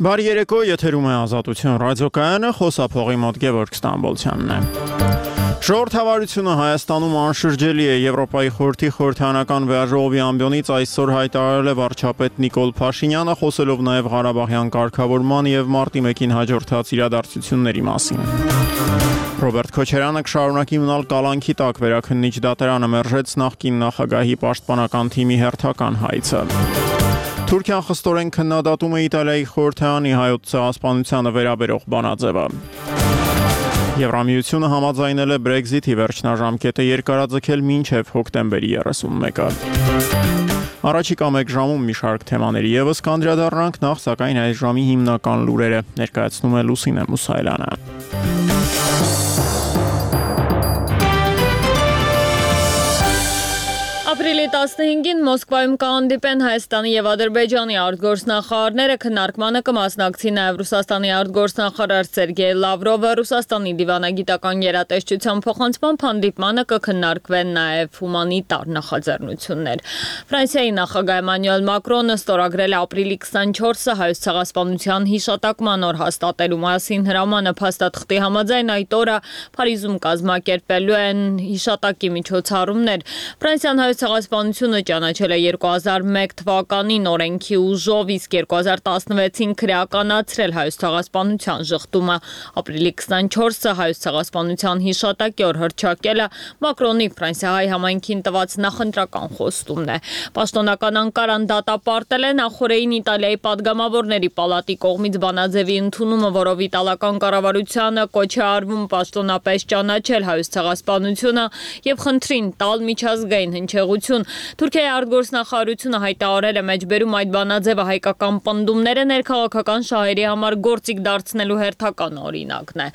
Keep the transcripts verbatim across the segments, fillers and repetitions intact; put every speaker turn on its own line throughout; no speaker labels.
Բարի երեկո, եթերում է Ազատություն ռադիոկայանը, խոսափողի մոտ Գևորգ Ստամբոլցյանն է։ Ժողովրդավարությունը Հայաստանում անշրջելի է։ Եվրոպայի խորհրդի խորհրդանական վեաժողովի ամբիոնից այսօր հայտարարել է վարչապետ Նիկոլ Փաշինյանը, խոսելով նաև Ղարաբաղյան կարգավորման եւ մարտի մեկին հաջորդած իրադարձությունների մասին։ Ռոբերտ Քոչարյանը կշարունակի մնալ կալանքի տակ, վերաքննիչ դատարանը մերժեց նախկին նախագահի պաշտպանական թիմի հերթական հայցը։ Թուրքիան խստորեն քննադատում է Իտալիայի խորհրդարանի հայոց ցեղասպանությանը վերաբերող բանաձևը։ Եվրամիությունը համաձայնել է Brexit-ի վերջնաժամկետը երկարաձգել մինչև հոկտեմբերի երեսունմեկը։ Առաջիկա մեկ ժամում մի շարք թեմաների ևս կանդրադառնանք, նախ սակայն այս ժամի հիմնական լուրերը ներկայացնում է Լուսինե Մուսայելյանը։
Ապրիլի տասնհինգին Մոսկվայում կհանդիպեն Հայաստանի եւ Ադրբեջանի արտգործնախարարները, քննարկմանը կմասնակցի նաեւ Ռուսաստանի արտգործնախարար Սերգեյ Լավրովը, Ռուսաստանի դիվանագիտական գերատեսչության փոխանցմամբ հանդիպմանը կքննարկվեն նաեւ հումանիտար նախաձեռնություններ։ Ֆրանսիայի նախագահ Էմանուել Մակրոնը ստորագրել է ապրիլի քսանչորսը հայոց ցեղասպանության հիշատակման օր հաստատելու մասին հրամանը փաստաթղթի համաձայն այդ օրը Փարիզում կազմակերպելու են հիշատակի միջոցառումներ։ Ֆրանսիան հայոց ցեղասպանությունը ճանաչել է երկու հազար մեկ թվականին օրենքի ուժով, իսկ երկու հազար տասնվեցին քրեականացրել հայոց ցեղասպանության ժխտումը։ Ապրիլի քսանչորսը հայոց ցեղասպանության հիշատակի օր հռչակելը Մակրոնի Ֆրանսիայի համայնքին տված նախընտրական խոստումն է։ Պաշտոնական Անկարան դատապարտել է նախորդին Իտալիայի падգամավորների պալատի կողմից բանաձևի ընդունումը, որով իտալական կառավարությանը կոչ է արվում պաշտոնապես ճանաչել հայոց ցեղասպանությունը եւ խնդրին տալ միջազգային հնչեղություն։ Թուրքիայի արտգործնախարարությունը հայտարարել է մեջբերում այդ բանաձևը հայկական պնդումները ներքաղաքական շահերի համար գործիք դարձնելու հերթական օրինակն է։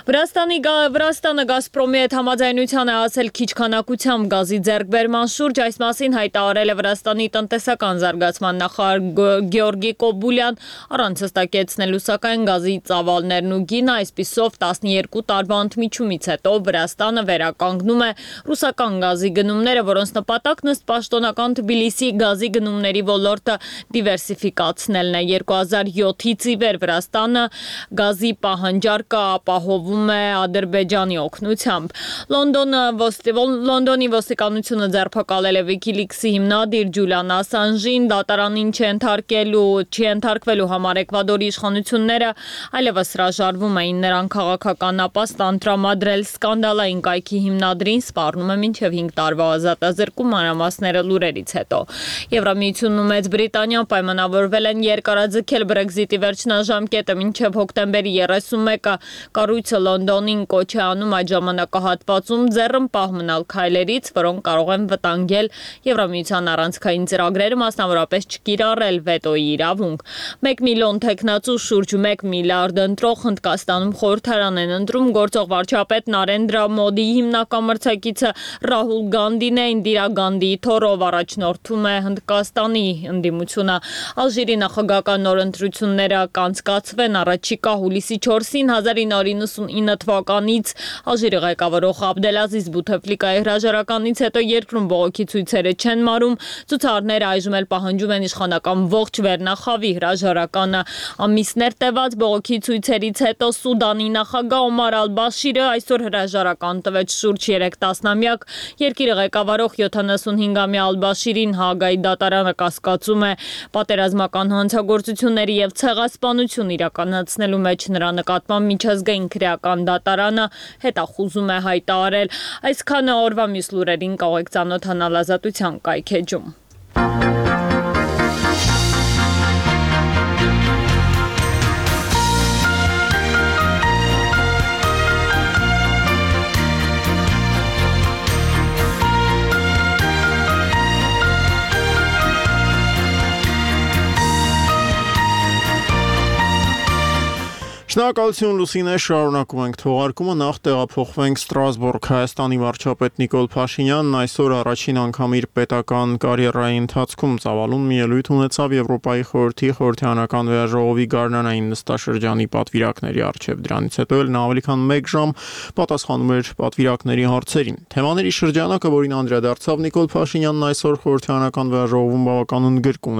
Վրաստանի Վրաստանը Գազպրոմի հետ համաձայնության է հասել քիչ քանակությամբ գազի ձեռքբերման շուրջ, այս մասին հայտարարել է Վրաստանի տնտեսական զարգացման նախարար Գեորգի Կոբուլյան, առանց հստակեցնելու սակայն գազի ծավալներն ու գինը, այսպիսով տասնյոթ տարվա ընդմիջումից հետո Վրաստանը վերականգնում է ռուսական գազի գնումները, որոնց նպատակն ըստ պաշտոնական Թբիլիսի գազի գնումների ոլորտը դիվերսիֆիկացնելն է։ երկու հազար յոթից ի վեր Վրաստանը գազի պահանջարկը ապահովում է Ադրբեջանի օգնությամբ։ Լոնդոնի ոստիկանությունը ձերբակալել է Wikileaks-ի հիմնադիր Ջուլիան Ասանժին, դատարանին չենթարկելու չենթարկվելու համար Էկվադորի իշխանությունները այլևս հրաժարվում էին նրան քաղաքական ապաստան տրամադրել։ Սկանդալային կայքի հիմնադրին սպառնում է մինչև հինգ տարվա ազատազրկում, մանրամասները լուրերից հետո։ Եվրամիությունն ու Մեծ Բրիտանիան պայմանավորվել են երկարաձգել Brexit-ի վերջնաժամկետը մինչև հոկտեմբերի երեսունմեկը։ Կառույցը Լոնդոնին կոչ է անում այդ ժամանակահատվածում ձեռնպահ մնալ քայլերից, որոնք կարող են վտանգել Եվրամիության առանցքային ծրագրերը, մասնավորապես չկիրառել վետոյի իրավունք։ Մեկ միլիոն թեկնածու շուրջ մեկ միլիարդ ընտրող Հնդկաստանում խորհրդարան են ընտրում գործող վարչապետ Նարենդրա Մոդիի հիմնական մրցակիցը Ռահուլ Գանդին է, Ինդիրա Գանդիի թոռով առաջնորդում է Հնդկաստանի ընդդիմությունը։ Ալժիրի նախագահական նոր ընտրությունները կանցկացվեն առաջիկա հուլիսի չորսին հազար ինը հարյուր նվաթ թվականից Ալժիրի ղեկավարող Աբդելազիզ Բութեֆլիկայի հրաժարականից հետո երկրում բողոքի ցույցերը չեն մարում, ցուցարները այժմ էլ պահանջում են իշխանական ողջ վերնախավի հրաժարականը։ Ամիսներ տևած բողոքի ցույցերից հետո Սուդանի նախագահ Օմար Ալ-Բաշիրը այսօր հրաժարական տվեց շուրջ երեք տասնամյակ երկիրը ղեկավարող յոթանասունհինգամյա Ալ-Բաշիրին Հաագայի դատարանը կասկածում է պատերազմական հանցագործությունների եւ ցեղասպանություն իրականացնելու մեջ նրա նկատմամբ միջազգային քրեական դատարանը հետախուզում է հայտարարել։ Այսքանը օրվա մյուս լուրերին կարող եք ծանոթանալ Ազատության կայքեջում։
Շնորհակալություն Լուսինե, շարունակում ենք թողարկումը, նախ տեղափոխվենք Ստրասբուրգ։ Հայաստանի վարչապետ Նիկոլ Փաշինյանն այսօր առաջին անգամ իր պետական կարիերայի ընթացքում ծավալուն մի ելույթ ունեցավ Եվրոպայի խորհրդի խորհրդարանական վեաժողովի գարնանային նստաշրջանի պատվիրակների առջև։ Դրանից հետո էլ նա ավելի քան մեկ ժամ պատասխանում էր պատվիրակների հարցերին։ Թեմաների շրջանակը, որին անդրադարձավ Նիկոլ Փաշինյանն այսօր խորհրդարանական վեաժողովում, բավական ընդգրկուն